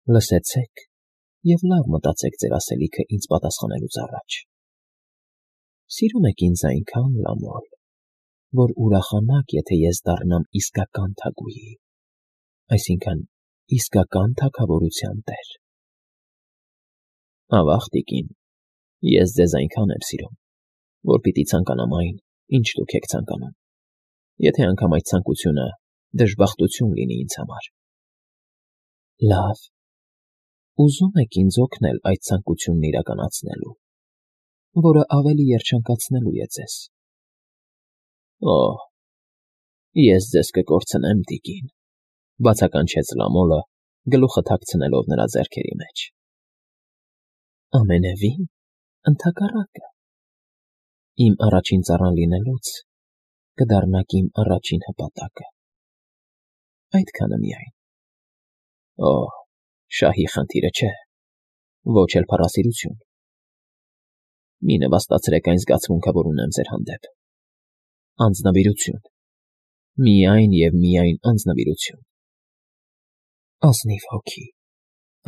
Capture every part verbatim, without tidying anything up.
Լսեցեք և լավ մտածեք ձեր ասելիքը ինձ պատասխանելուց առաջ. սիրում եք ինձ այնքան, Լամոլ, որ ուրախանաք, եթե ես դառնամ իսկական թագուհի, այսինքն՝ իսկական թագավորության տեր։ Ավաղ, տիկին, ես ձեզ այնքան եմ սիրում, որ պիտի ցանկանամ այն, ինչ դուք եք ցանկանում, եթե անգամ այդ ցանկությունը դժբախտություն լինի ինձ համար։ Լավ, ուզում եք ինձ օգնել այդ ցանկությունն իրականացնելու, որը ավելի երջանկացնելու է ձեզ։ Օհ, ես ձեզ կկորցնեմ, տիկին, բացականչեց Լամոլը, գլուխը թաքցնելով նրա ձեռքերի մեջ։ Ամենևին, ընդհակառակը, իմ առաջին ծառան լինելուց կդառնաք իմ առաջին հպատակը։ Այդքանը միայն։ Օհ, շահի խնդիրը չէ, ոչ էլ փառասիրություն։ Մի նվաստացրեք այն զգացմունքը, որ ունեմ ձեր հանդեպ։ Անձնվիրություն, միայն և միայն անձնվիրություն։ Ազնիվ հոգի,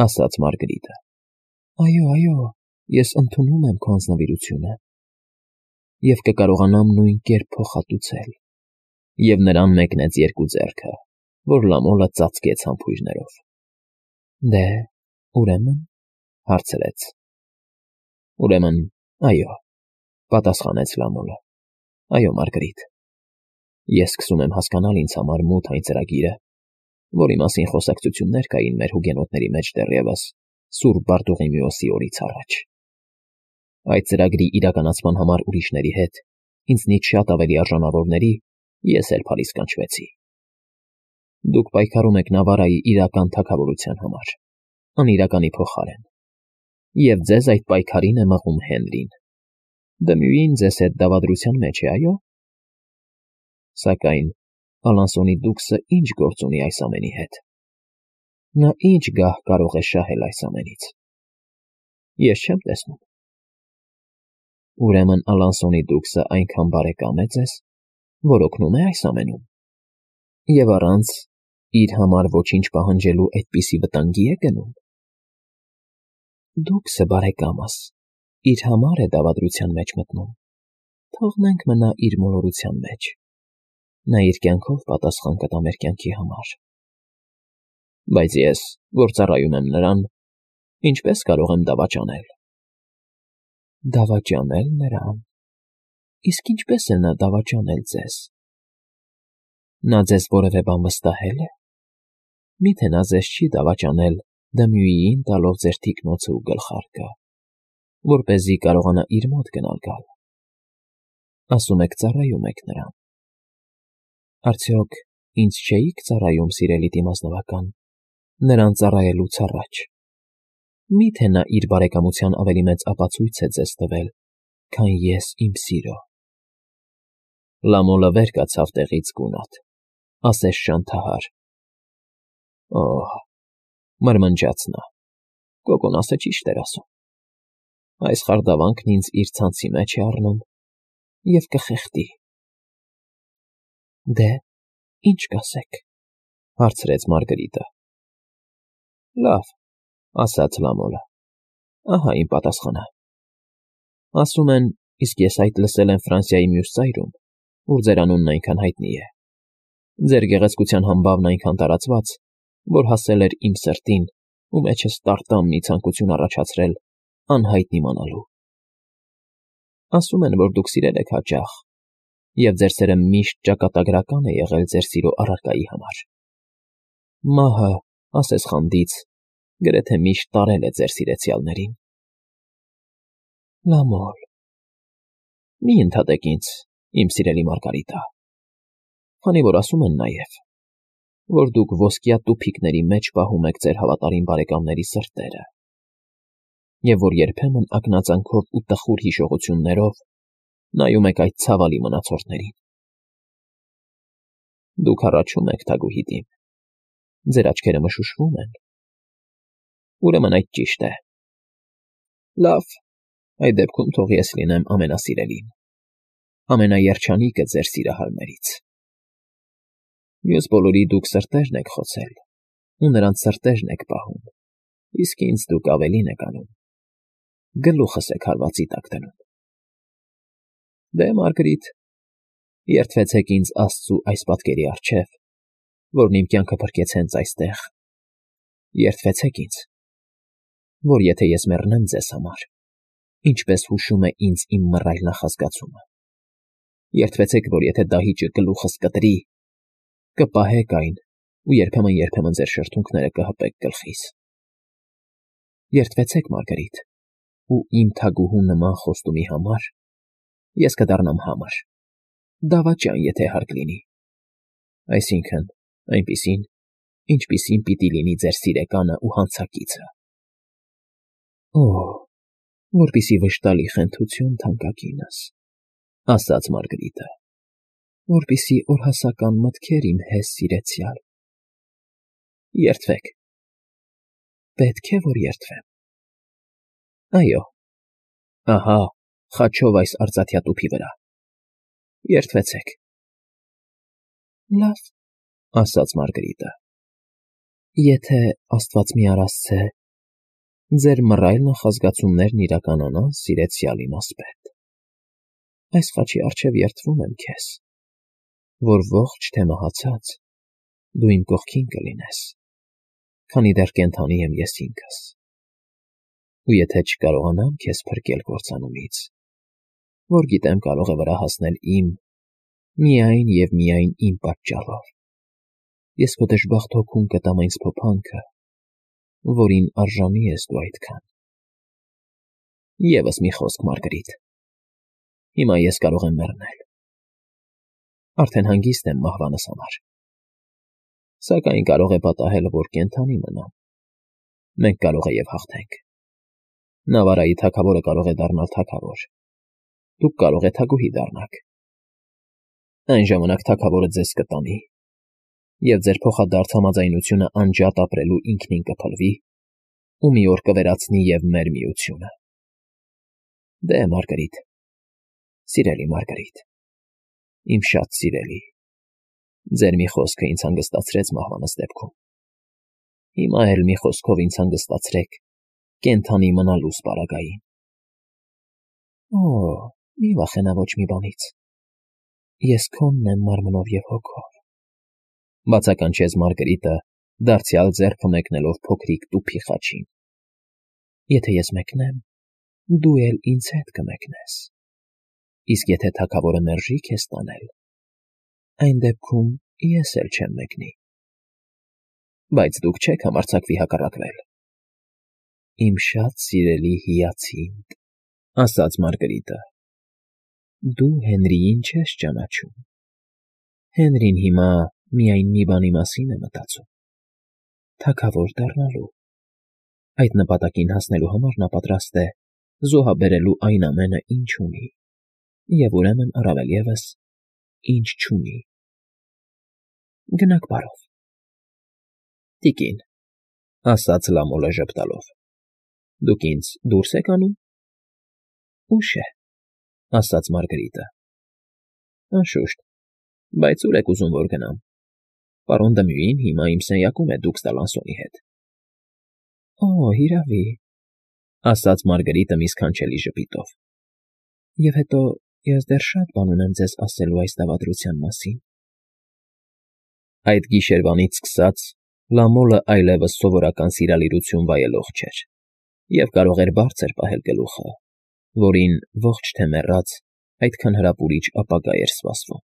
ասաց Մարգարիտը։ Այո, այո, ես ընդունում եմ քո անձնվիրությունը և կկարողանամ նույն կերպ փոխհատուցել, և նրան մեկնեց երկու ձեռքը, որ Լամոլը ծածկեց համբույրներով։ Դե, ուրեմն, հարցրեց։ Ուրեմն, այո, պատասխանեց Լամոլը։ Այո, Մարգարիտ, ես սկսում եմ հասկանալ ինձ համար մութ այն ծրագիրը, որի մասին խոսակցություններ կային մեր հուգենոտների մեջ դեռևս Սուրբ Բարտողիմեոսի օրից առաջ։ Այդ ծրագրի իրականացման համար ուրիշների հետ, ինձնից շատ ավելի արժանավորների, ես էլ փալիս կանչվեցի։ Դուք պայքարում եք Նավարայի իրական թագավորության համար, անիրականի փոխարեն, և ձեզ այդ պայքարին է մղում Հենրին։ Դմյուին ձեզ հետ դավադրության մեջ է, այո՞։ Սակայն Ալանսոնի դուքսը ինչ գործ ունի այս ամենի հետ։ Նա ինչ գահ կարող է շահել այս ամենից։ Ես չեմ տեսնում։ Ուրեմն Ալանսոնի դուքսը այնքան բարեկամ է ձեզ, որ օգնում է այս ամենում, և առանց իր համար ոչինչ պահանջելու այդպիսի վտանգի է գնում։ Դուքսը, բարեկամս, իր համար է դավադրության մեջ մտնում, թողնենք մնա իր մոլորության մեջ, նա իր կյանքով պատասխան կտա մեր կյանքի համար։ Բայց ես, որ ծառայում եմ նրան, ինչպե՞ս կարող եմ դավաճանել։ Դավաճանել նրան։ Իսկ ինչպե՞ս է նա դավաճանել ձեզ։ Նա ձեզ որևէ բան վստահե՞լ է։ Մի՞թե նա ձեզ չի դավաճանել Դմյուիին տալով ձեր թիկնոցը ու գլխարկը, որպեսզի կարողանա իր մոտ գնալ գալ։ Ասում եք ծառայում եք նրան։ Արդյոք ինձ չէի՞ք ծառայում, սիրելի դիմազնվական, նրան ծառայելուց առաջ։ Մի՞թե նա իր բարեկամության ավելի մեծ ապացույց է ձեզ տվել, քան ես իմ սիրո։ Լամոլը վեր կացավ տեղից գունատ, ասես շանթահար։ Օհ, մրմնջաց նա, կոկոնասը ճիշտ էր ասում։ Այս խարդավանքն ինձ իր ցանցի մեջ է առնում և կխեղդի։ Դե, ի՞նչ կասեք, հարցրեց Մարգարիտը։ Լավ, ասաց Լամոլը, ահա իմ պատասխանը։ Ասում են, իսկ ես այդ լսել եմ Ֆրանսիայի մյուս ծայրում, ուր ձեր անունն այնքան հայտնի է։ Ձեր գեղեցկության համբավն այնքան տարածված, որ հասել էր իմ սրտին ու մեջս տարտամ մի ցանկություն առաջացրել անհայտ իմանալու։ Ասում են, որ դուք սիրել եք հաճախ, և ձեր սերը միշտ ճակատագրական է եղել ձեր սիրո առարկայի համար։ Մահը, ասես խանդից, գրեթե միշտ տարել է ձեր սիրեցյալներին։ Լամոլ, մի ընդհատեք ինձ, իմ սիրելի Մարգարիտա, քանի որ ասում են նաև, որ դուք ոսկյա տուփիկների մեջ պահում եք ձեր հավատարիմ բարեկամների սրտերը, և որ երբեմն ակնածանքով ու տխուր հիշողություններով նայում եք այդ ցավալի մնացորդներին։ Դուք հառաչում եք, թագուհի դիմ, ձեր աչքերը մշուշվում են։ Ուրեմն այդ ճիշտ է։ Լավ, այդ դեպքում թող ես լինեմ ամենասիրելին, ամենաերջանիկը ձեր սիրահարներից։ Մյուս բոլորի դուք սրտերն եք խոցել ու նրանց սրտերն եք պահում, Իսկ ինձ դուք ավելին եք անում. գլուխս եք հարվածի տակ դնում։ Դե, Մարգարիտ, երդվեցեք ինձ Աստծու այս պատկերի առջև, որն իմ կյանքը փրկեց հենց այստեղ, երդվեցեք ինձ, որ եթե ես մեռնեմ ձեզ համար, ինչպես հուշում է ինձ իմ մռայլ նախազգացումը, երդվեցեք, որ եթե դահիճը գլուխս կտրի, կպահեք այն ու երբեմն-երբեմն ձեր շրթունքները կհպեք գլխիս։ Երդվեցեք, Մարգարիտ, ու իմ թագուհու նման խոստումի համար ես կդառնամ համր, դավաճան, եթե հարկ լինի, այսինքն այնպիսին, ինչպիսին պիտի լինի ձեր սիրեկանը ու հանցակիցը։ Օ՜, որպիսի վշտալի խենթություն, թանկագինս, ասաց Մարգարիտը, որպիսի օրհասական մտքեր իմ հեզ սիրեցյալ։ Երդվեք։ Պետք է, որ երդվեմ։ Այո, ահա, խաչով այս արծաթյա տուփի վրա։ Երդվեցեք։ Լավ, ասաց Մարգարիտը, եթե Աստված մի արասցե, ձեր մռայլ նախազգացումներն իրականանան, սիրեցյալ իմասպետ, այս խաչի առջև երդվում եմ քեզ, որ ողջ թե մահացած դու իմ կողքին կլինես, քանի դեռ կենդանի եմ ես ինքս, ու եթե չկարողանամ քեզ փրկել կործանումից, որ գիտեմ կարող է վրա հասնել իմ, միայն և միայն իմ պատճառով, ես քո դժբախտ հոգուն կտամ այն սփոփանքը, որին արժանի ես դու այդքան։ Եվս մի խոսք, Մարգարիտ, հիմա ես կարող եմ մեռնել, արդեն հանգիստ եմ մահվանս համար, սակայն կարող է պատահել, որ կենդանի մնամ, մենք կարող է և հաղթենք, Նավարայի թագավորը կարող է դառնալ թագավոր, դուք կարող է թագուհի դառնաք, այն ժամանակ թագավորը ձեզ կտանի, և ձեր փոխադարձ համաձայնությունը անջատ ապրելու ինքնին կփլվի ու մի օր կվերացնի և մեր միությունը։ Դե, Մարգարիտ, սիրելի Մարգարիտ, իմ շատ սիրելի, ձեր մի խոսքը ինձ հանգստացրեց մահվանս դեպքում, հիմա էլ մի խոսքով ինձ հանգստացրեք կենդանի մնալուս պարագային։ Օ, մի վախենա ոչ մի բանից, ես քոնն եմ մարմնով և հոգով, բացականչեց Մարգարիտը, դարձյալ ձեռքը մեկնելով փոքրիկ տուփի խաչին, եթե ես մեկնեմ, դու էլ ինձ հետ կմեկնես, իսկ եթե թագավորը մերժի քեզ տանել, այն դեպքում ես էլ չեմ մեկնի, բայց դուք չեք համարձակվի հակառակվել։ Իմ շատ սիրելի հիացինդ, ասաց Մարգարիտը, դու Հենրիին չես ճանաչում, Հենրին հիմա միայն մի բանի մասին է մտածում, թագավոր դառնալու, այդ նպատակին հասնելու համար նա պատրաստ է զոհաբերելու այն ամենը, ինչ ունի, և ուրեմն առավել ևս, ինչ չունի։ Գնաք բարով։ Տիկին, ասաց Լամոլը ժպտալով, դուք ինձ դուրս եք անում։ Ուշ է, ասաց Մարգարիտը։ Անշուշտ, բայց ուր եք ուզում, որ գնամ։ Պարոն Դմյուին հիմա իմ սենյակում է դուքս Դալանսոնի հետ։ Օ, հիրավի, ասաց Մարգարիտը մի սքանչելի ժպիտով։ Եվ հետո ես դեռ շատ բան ունեմ ձեզ ասելու այս դավադրության մասին։ Այդ գիշերվանից սկսած Լամոլը այլևս սովորական սիրալիրություն վայելող չէր, և կարող էր բարձր պահել գլուխը, որին ողջ թե մեռած այդքան հրապուրիչ ապագա էր սպասվում։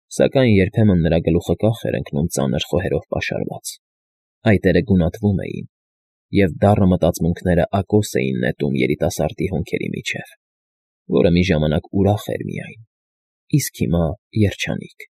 Սակայն երբեմն նրա գլուխը կախ էր ընկնում ծանր խոհերով պաշարված, այտերը գունատվում էին, և դառը մտածմունքները ակոս էին նետում երիտասարդի հոնքերի միջև, որը մի ժամանակ ուրախ էր միայն, իսկ հիմա երջանիկ։